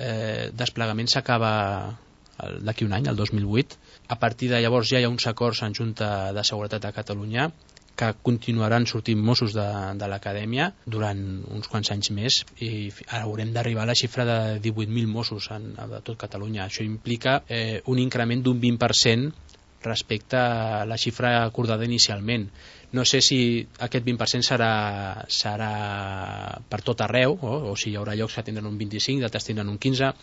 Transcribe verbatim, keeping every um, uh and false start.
eh, desplegament s'acaba d'aquí un any, el dos mil vuit. A partir de llavors ja hi ha uns acords en Junta de Seguretat de Catalunya que continuaran sortint Mossos de, de l'acadèmia durant uns quants anys més i haurem d'arribar a la xifra de divuit mil Mossos en, a tot Catalunya. Això implica eh, un increment d'un vint per cent respecte a la xifra acordada inicialment. No sé si aquest vint per cent serà, serà per tot arreu, o, o si hi haurà llocs que tindran un vint-i-cinc, d'altres tindran un quinze.